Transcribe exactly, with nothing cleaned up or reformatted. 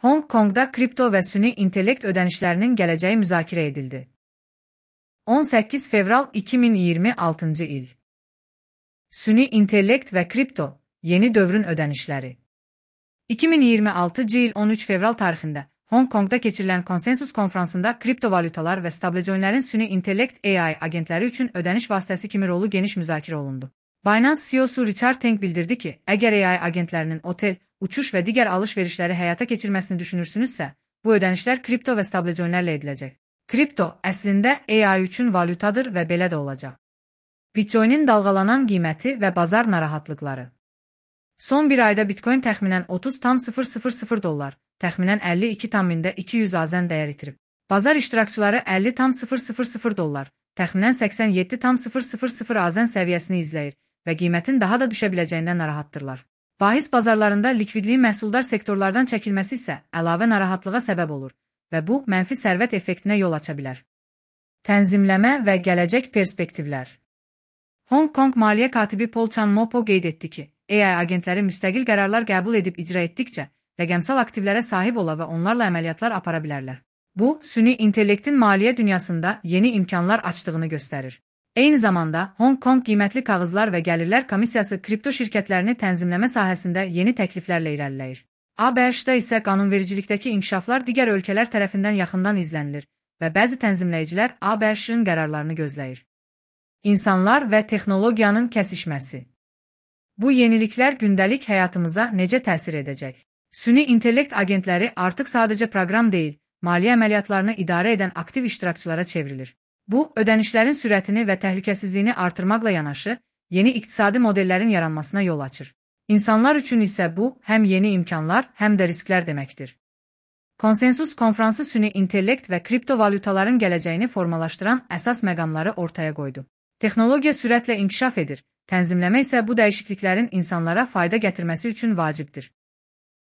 Hong Kong'da kripto və süni intellekt ödənişlərinin gələcəyi müzakirə edildi. on səkkiz fevral iki min iyirmi altıncı il. Süni intellekt və kripto, yeni dövrün ödənişləri. iki min iyirmi altıncı il on üç fevral tarixində Hong Kong'da keçirilən konsensus konfransında kriptovalyutalar və stablecoinlərin süni intellekt A I agentləri üçün ödəniş vasitəsi kimi rolu geniş müzakirə olundu. Binance C E O-su Richard Teng bildirdi ki, əgər A I agentlərinin otel, uçuş və digər alış-verişləri həyata keçirməsini düşünürsünüzsə, bu ödənişlər kripto və stablecoinlərlə ediləcək. Kripto əslində A I üçün valyutadır və belə də olacaq. Bitcoin'in dalğalanan qiyməti və bazar narahatlıqları. Son bir ayda Bitcoin təxminən otuz tam sıfır sıfır sıfır dollar, təxminən əlli iki tam iki yüz azən dəyər itirib. Bazar iştirakçıları əlli tam sıfır sıfır sıfır dollar, təxminən səksən yeddi tam sıfır sıfır sıfır azən səviyyəsini izləyir və qiymətin daha da düşə biləcəyindən narahatdırlar. Bahis bazarlarında likvidliyin məhsuldar sektorlardan çəkilməsi isə əlavə narahatlığa səbəb olur və bu mənfi sərvət effektinə yol aça bilər. Tənzimləmə və gələcək perspektivlər. Hong Kong maliyyə katibi Paul Chan Mopo qeyd etdi ki, A I agentləri müstəqil qərarlar qəbul edib icra etdikcə, rəqəmsal aktivlərə sahib ola və onlarla əməliyyatlar apara bilərlər. Bu, süni intellektin maliyyə dünyasında yeni imkanlar açdığını göstərir. Eyni zamanda, Hong Kong qiymətli kağızlar və gəlirlər komissiyası kripto şirkətlərini tənzimləmə sahəsində yeni təkliflərlə irəliləyir. A B H-da isə qanunvericilikdəki inkişaflar digər ölkələr tərəfindən yaxından izlənilir və bəzi tənzimləyicilər A B H-ın qərarlarını gözləyir. İnsanlar və texnologiyanın kəsişməsi. Bu yeniliklər gündəlik həyatımıza necə təsir edəcək? Süni intellekt agentləri artıq sadəcə proqram deyil, maliyyə əməliyyatlarını idarə edən aktiv iştirakçılara çevrilir. Bu, ödənişlərin sürətini və təhlükəsizliyini artırmaqla yanaşı, yeni iqtisadi modellərin yaranmasına yol açır. İnsanlar üçün isə bu, həm yeni imkanlar, həm də risklər deməkdir. Konsensus konfransı süni intellekt və kriptovalyutaların gələcəyini formalaşdıran əsas məqamları ortaya qoydu. Texnologiya sürətlə inkişaf edir, tənzimləmə isə bu dəyişikliklərin insanlara fayda gətirməsi üçün vacibdir.